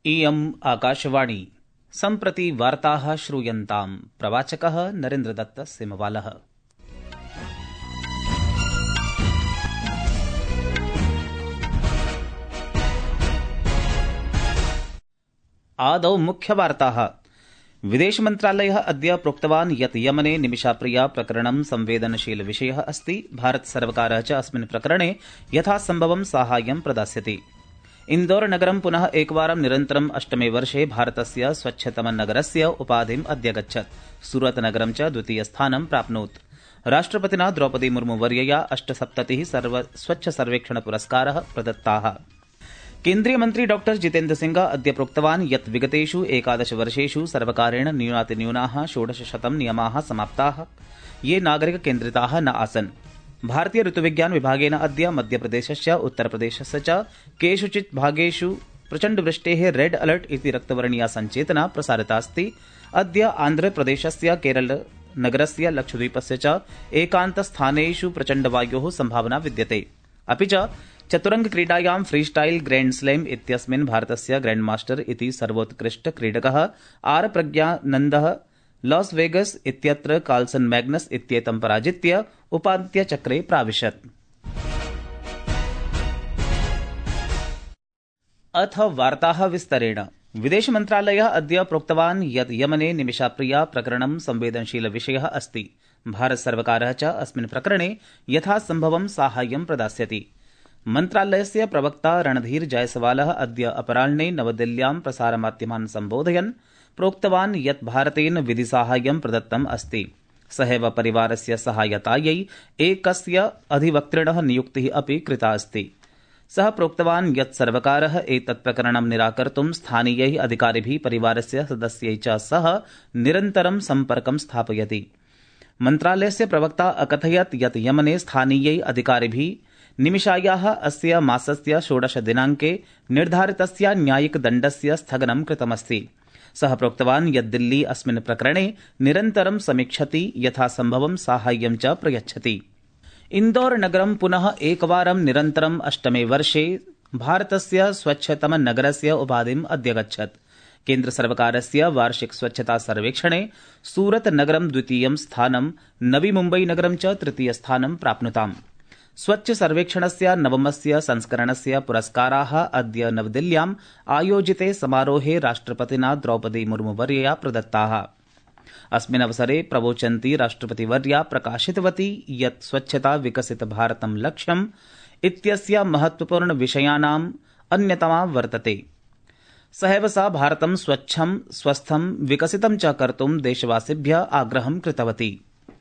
इयम् आकाशवाणी सम्प्रति वार्ताः श्रूयन्ताम्। प्रवाचकः नरेन्द्रदत्त सिमवालः। आदौ मुख्यवार्ताः। विदेशमन्त्रालयः अद्य प्रोक्तवान् यत् यमने निमिषाप्रिया प्रकरणं संवेदनशील विषयः अस्ति। भारतसर्वकारः च अस्मिन् प्रकरणे यथासम्भवं साहाय्यं प्रदास्यति। इन्दौरनगरं पुनः एकवारं निरन्तरम् अष्टमे वर्षे भारतस्य स्वच्छतमनगरस्य उपाधिम् अध्यगच्छत्। सूरतनगरं च द्वितीयस्थानं प्राप्नोत्। राष्ट्रपतिना द्रौपदी मुर्मुवर्यया 78 स्वच्छ सर्वेक्षण पुरस्काराः प्रदत्ताः। केन्द्रीय मन्त्री डॉ जितेन्द्र सिंह अद्य प्रोक्तवान् यत् विगतेषु 11 वर्षेषु सर्वकारेण न्यूनातिन्यूनाः 1600 नियमाः समाप्ताः, ये नागरिककेन्द्रिताः न आसन्। भारतीय ऋतुविज्ञान विभागेन अद्य मध्यप्रदेशस्य उत्तरप्रदेशस्य च केषुचित् भागेषु प्रचण्डवृष्टेः रेड अलर्ट इति रक्तवर्णीया सञ्चेतना प्रसारितास्ति। अद्य आन्ध्रप्रदेशस्य केरलनगरस्य लक्षद्वीपस्य च एकान्तस्थानेषु प्रचण्डवायोः सम्भावना विद्यते। अपि च चतुरङ्गक्रीडायां फ्रीस्टाइल ग्रैंड स्लैम इत्यस्मिन् भारतस्य ग्रैंडमास्टर इति सर्वोत्कृष्ट क्रीडकः आर प्रज्ञानन्दः लॉस वेगस इत्यत्र कार्लसन मैग्नस इत्येतं पराजित्य उपान्त्यचक्रे प्राविशत्। अथ वार्ताः विस्तरेण। विदेशमन्त्रालयः अद्य प्रोक्तवान् यत् यमने निमिषाप्रिया प्रकरणं संवेदनशील विषयः अस्ति। भारतसर्वकारः च अस्मिन् प्रकरणे यथासम्भवं साहाय्यं प्रदास्यति। मन्त्रालयस्य प्रवक्ता रणधीर जायसवालः अद्य अपराह्ने नवदिल्ल्यां प्रसारमाध्यमान् सम्बोधयन् प्रोक्तवान् यत् भारतेन विधिसाहाय्यं प्रदत्तम् अस्ति। सहैव परिवारस्य सहायतायै एकस्य अधिवक्तृणः नियुक्तिः अपि कृता अस्ति। सः प्रोक्तवान् यत् सर्वकारः एतत् प्रकरणं निराकर्तुं स्थानीयैः अधिकारिभिः परिवारस्य सदस्यैः च सह निरन्तरं सम्पर्कं स्थापयति। मन्त्रालयस्य प्रवक्ता अकथयत् यत् यमने स्थानीयैः अधिकारिभिः निमिषायाः अस्य मासस्य 16 दिनाङ्के निर्धारितस्य न्यायिकदण्डस्य स्थगनं कृतमस्ति। सः प्रोक्तवान् यत् दिल्ली अस्मिन् प्रकरणे निरन्तरं समीक्षति, यथासम्भवं साहाय्यं च प्रयच्छति। इन्दौरनगरं पुनः एकवारं निरन्तरम् अष्टमे वर्षे भारतस्य स्वच्छतमनगरस्य उपाधिम् अध्यगच्छत्। केन्द्रसर्वकारस्य वार्षिक स्वच्छता सर्वेक्षणे सूरतनगरं द्वितीयं स्थानं, नवी मुम्बईनगरं च तृतीयस्थानं प्राप्नुताम्। स्वच्छ सर्वेक्षणस्य नवमस्य संस्करणस्य पुरस्काराः अद्य नवदिल्ल्याम् आयोजिते समारोहे राष्ट्रपतिना द्रौपदी मुर्मुवर्यया प्रदत्ताः। अस्मिन् अवसरे प्रवोचन्ती राष्ट्रपतिवर्या प्रकाशितवती यत् स्वच्छता विकसित भारतं लक्ष्यम् इत्यस्य महत्वपूर्ण विषयाणाम् अन्यतमा वर्तते। सहैव सा भारतं स्वच्छं, स्वस्थं, विकसितं च कर्तुं देशवासिभ्यः आग्रहं कृतवती।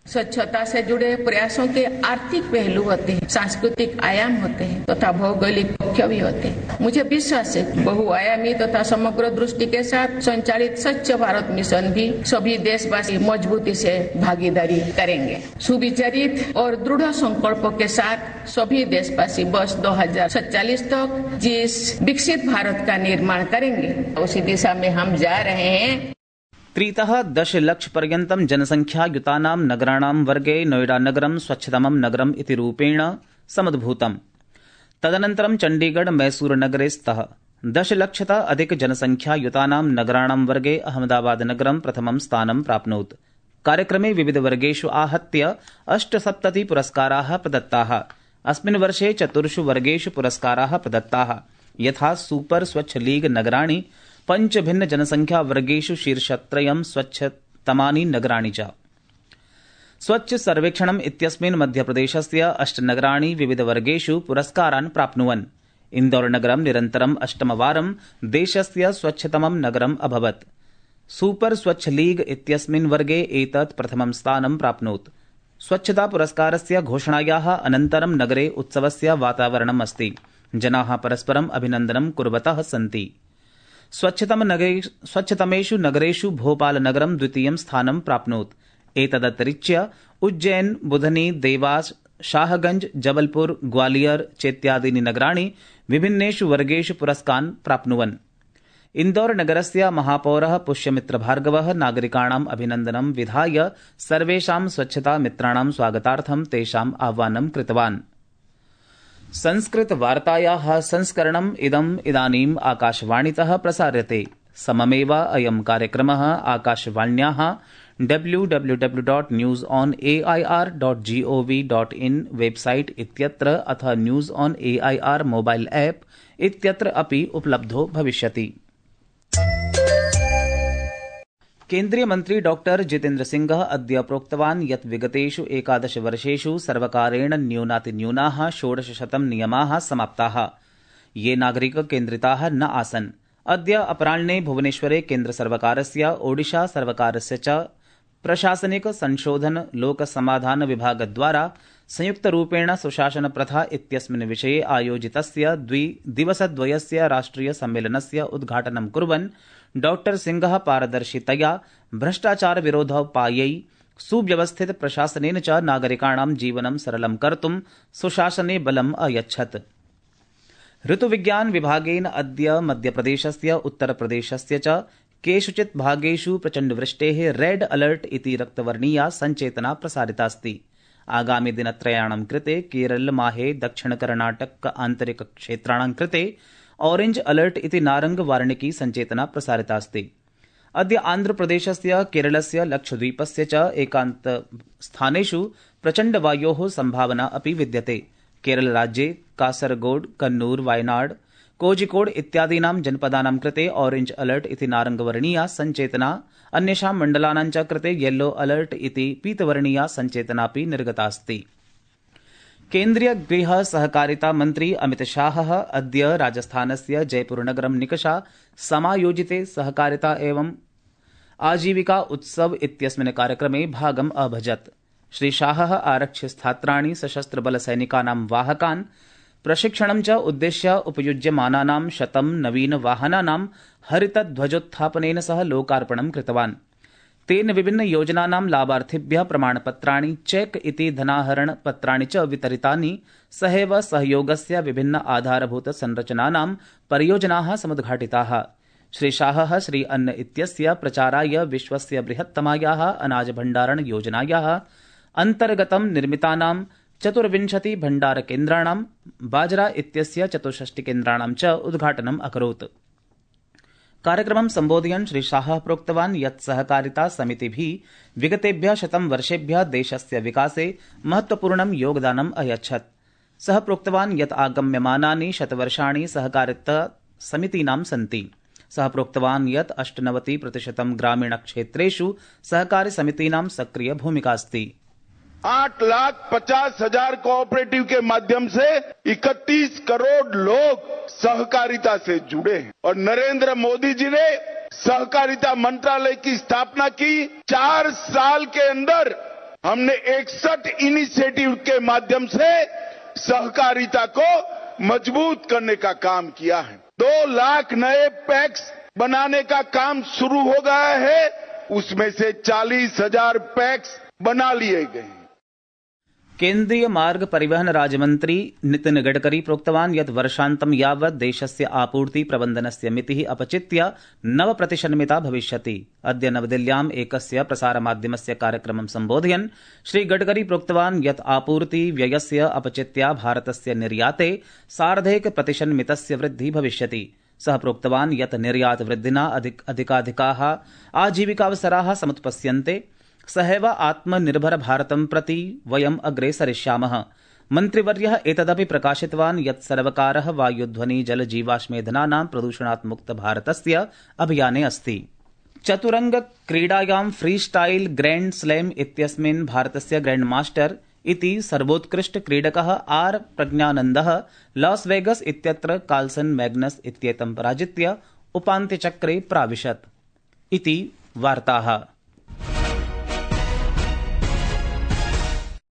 स्वच्छता से जुड़े प्रयासों के आर्थिक पहलू होते हैं, सांस्कृतिक आयाम होते हैं तथा भौगोलिक पक्ष भी होते हैं। मुझे विश्वास है बहुआयामी तथा समग्र दृष्टि के साथ संचालित स्वच्छ भारत मिशन भी सभी देशवासी मजबूती से भागीदारी करेंगे। सुविचारित और दृढ़ संकल्पों के साथ सभी देशवासी वर्ष 2047 तक जिस विकसित भारत का निर्माण करेंगे, उसी दिशा में हम जा रहे हैं। 3-10 लक्षपर्यन्तं जनसंख्यायुतानां नगराणां वर्गे नोएडानगरं स्वच्छतमं नगरम् इति रूपेण समुद्भूतम्। तदनन्तरं चण्डीगढ़ मैसूरुनगरे स्तः। 10 लक्षतः अधिक जनसंख्यायुतानां नगराणां वर्गे अहमदाबादनगरं प्रथमं स्थानं प्राप्नोत्। कार्यक्रमे विविधवर्गेषु आहत्य 78 पुरस्काराः प्रदत्ताः। अस्मिन् वर्षे 4 वर्गेषु पुरस्काराः प्रदत्ताः, यथा सुपर स्वच्छ लीग नगराणि, 5 भिन्न जनसंख्या वर्गेषु शीर्षत्रयं स्वच्छतमानि नगराणि च। स्वच्छ सर्वेक्षणम् इत्यस्मिन् मध्यप्रदेशस्य 8 नगराणि विविधवर्गेषु पुरस्कारान् प्राप्नुवन्। इन्दौरनगरं निरन्तरम् अष्टमवारं देशस्य स्वच्छतमं नगरम् अभवत्। सुपर स्वच्छ लीग इत्यस्मिन् वर्गे एतत् प्रथमं स्थानं प्राप्नोत्। स्वच्छता पुरस्कारस्य घोषणायाः अनन्तरं नगरे उत्सवस्य वातावरणम् अस्ति। जनाः परस्परम् अभिनन्दनं कुर्वतः सन्ति। स्वच्छतमेषु नगरेषु भोपालनगरं द्वितीयं स्थानं प्राप्नोत्। एतदतिरिच्य उज्जैन, बुधनी, देवास, शाहगंज, जबलपुर, ग्वालियर चेत्यादीनि नगराणि विभिन्नेषु वर्गेषु पुरस्कारान् प्राप्नुवन्। इन्दौरनगरस्य महापौरः पुष्यमित्रभार्गवः नागरिकाणाम् अभिनन्दनं विधाय सर्वेषां स्वच्छता मित्राणां स्वागतार्थं तेषाम् आह्वानं कृतवान्। संस्कृतवार्तायाः संस्करणम् इदानीम् आकाशवाणीतः प्रसार्यते। सममेव अयं कार्यक्रमः आकाशवाण्याः www.newsonair.gov.in वेबसाइट इत्यत्र अथ news on AIR mobile app इत्यत्र अपि उपलब्धो भविष्यति। केन्द्रीय मन्त्री डॉक्टर जितेन्द्र सिंह अद्य प्रोक्तवान् यत् विगतेषु 11 वर्षेषु सर्वकारेण न्यूनातिन्यूनाः 1600 नियमाः समाप्ताः, ये नागरिककेन्द्रिताः न आसन्। अद्य अपराह्ने भुवनेश्वरे केन्द्रसर्वकारस्य ओडिशा सर्वकारस्य च प्रशासनिक संशोधन लोकसमाधान विभागद्वारा संयुक्तरूपेण सुशासन प्रथा इत्यस्मिन् विषये आयोजितस्य दिवसद्वयस्य राष्ट्रिय सम्मेलनस्य उद्घाटनं कुर्वन् डॉक्टर सिंह पारदर्शितया भ्रष्टाचार विरोधोपायै सुव्यवस्थित प्रशासनेन च नागरिकाणां जीवनं सरलं कर्तुं सुशासने बलम् अयच्छत्। ऋतुविज्ञान विभागेन अद्य मध्यप्रदेशस्य उत्तरप्रदेशस्य च केषुचित् भागेषु प्रचण्डवृष्टेः रेड अलर्ट इति रक्तवर्णीया सञ्चेतना प्रसारितास्ति। आगामि दिनत्रयाणां कृते केरल, माहे, दक्षिण कर्णाटक आन्तरिक क्षेत्राणां कृते ऑरेंज अलर्ट इति नारंग वार्णिकी सञ्चेतना प्रसारितास्ति। अद्य आन्ध्रप्रदेशस्य, केरलस्य, लक्षद्वीपस्य च एकान्त स्थानेषु प्रचण्डवायोः संभावना अपि विद्यते। केरलराज्ये कासरगोड, कन्नूर, वायनाड, कोझिकोड इत्यादीनां जनपदानां कृते ऑरेंज अलर्ट इति नारंगवर्णीया सञ्चेतना, अन्येषां मण्डलानां च कृते येलो अलर्ट इति पीतवर्णीया सञ्चेतनापि निर्गतास्ति। केन्द्रीय गृह सहकारिता मन्त्री अमित शाहः अद्य राजस्थानस्य जयपुरनगरं निकषा समायोजिते सहकारिता एवं आजीविका उत्सव इत्यस्मिन् कार्यक्रमे भागम् अभजत्। श्री शाहः आरक्षिस्थात्राणि, सशस्त्रबलसैनिकानां वाहकान् प्रशिक्षणं च उद्दिश्य उपयुज्यमानानां 100 नवीनवाहनानां हरितध्वजोत्थापनेन सह लोकार्पणं कृतवान्। तेन विभिन्न योजनानां लाभार्थिभ्यः प्रमाणपत्राणि, चेक इति धनाहरणपत्राणि च वितरितानि। सहैव सहयोगस्य विभिन्न आधारभूत संरचनानां परियोजनाः समुद्घाटिताः। श्री शाहः श्री अन्न इत्यस्य प्रचाराय विश्वस्य बृहत्तमायाः अनाजभण्डारण योजनायाः अन्तर्गतं निर्मितानां 24 भण्डारकेन्द्राणां, बाजरा इत्यस्य 64 केन्द्राणां च उद्घाटनम् अकरोत्। कार्यक्रमं सम्बोधयन् श्री शाहः प्रोक्तवान् यत् सहकारिता समितिभिः विगतेभ्यः 100 वर्षेभ्यः देशस्य विकासे महत्वपूर्णं योगदानम् अयच्छत्। सः प्रोक्तवान् यत् आगम्यमानानि 100 वर्षाणि सहकारिता समितीनां सन्ति। सः प्रोक्तवान् यत् 98% ग्रामीणक्षेत्रेषु सहकारी समितीनां सक्रिय भूमिका अस्ति। 8,50,000 कोऑपरेटिव के माध्यम से 31 करोड़ लोग सहकारिता से जुड़े हैं और नरेंद्र मोदी जी ने सहकारिता मंत्रालय की स्थापना की। 4 साल के अंदर हमने 61 इनिशिएटिव के माध्यम से सहकारिता को मजबूत करने का काम किया है। 2 लाख नए पैक्स बनाने का काम शुरू हो गया है, उसमें से 40,000 पैक्स बना लिए गए। केन्द्रीय मार्ग परिवहन राज्यमन्त्री नितिन गडकरी प्रोक्तवान् यत् वर्षान्तं यावत् देशस्य आपूर्ति प्रबन्धनस्य मितिः अपचित्य 9% भविष्यति। अद्य नवदिल्ल्याम् एकस्य प्रसारमाध्यमस्य कार्यक्रमं सम्बोधयन् श्री गडकरी प्रोक्तवान् यत् आपूर्ति व्ययस्य अपचित्या भारतस्य निर्याते 1.5% वृद्धिः भविष्यति। सः प्रोक्तवान् यत् निर्यात वृद्धिना अधिकाधिकाः आजीविकावसराः समुत्पत्स्यन्ते। सहैव आत्मनिर्भर भारतं प्रति वयम् अग्रे सरिष्यामः। मन्त्रिवर्यः एतदपि प्रकाशितवान् यत् सर्वकारः वायुध्वनि जल जीवाश्मेधनानां प्रदूषणात् मुक्त भारतस्य अभियाने अस्ति। चतुरंग क्रीडायां फ्रीस्टाइल ग्रैंड स्लैम इत्यस्मिन् भारतस्य ग्रैंड मास्टर इति सर्वोत्कृष्ट क्रीडकः आर प्रज्ञानन्दः लॉस वेगस इत्यत्र कार्लसन मैग्नस इत्येतं पराजित्य उपान्त्यचक्रे प्राविशत्। इति वार्ताः।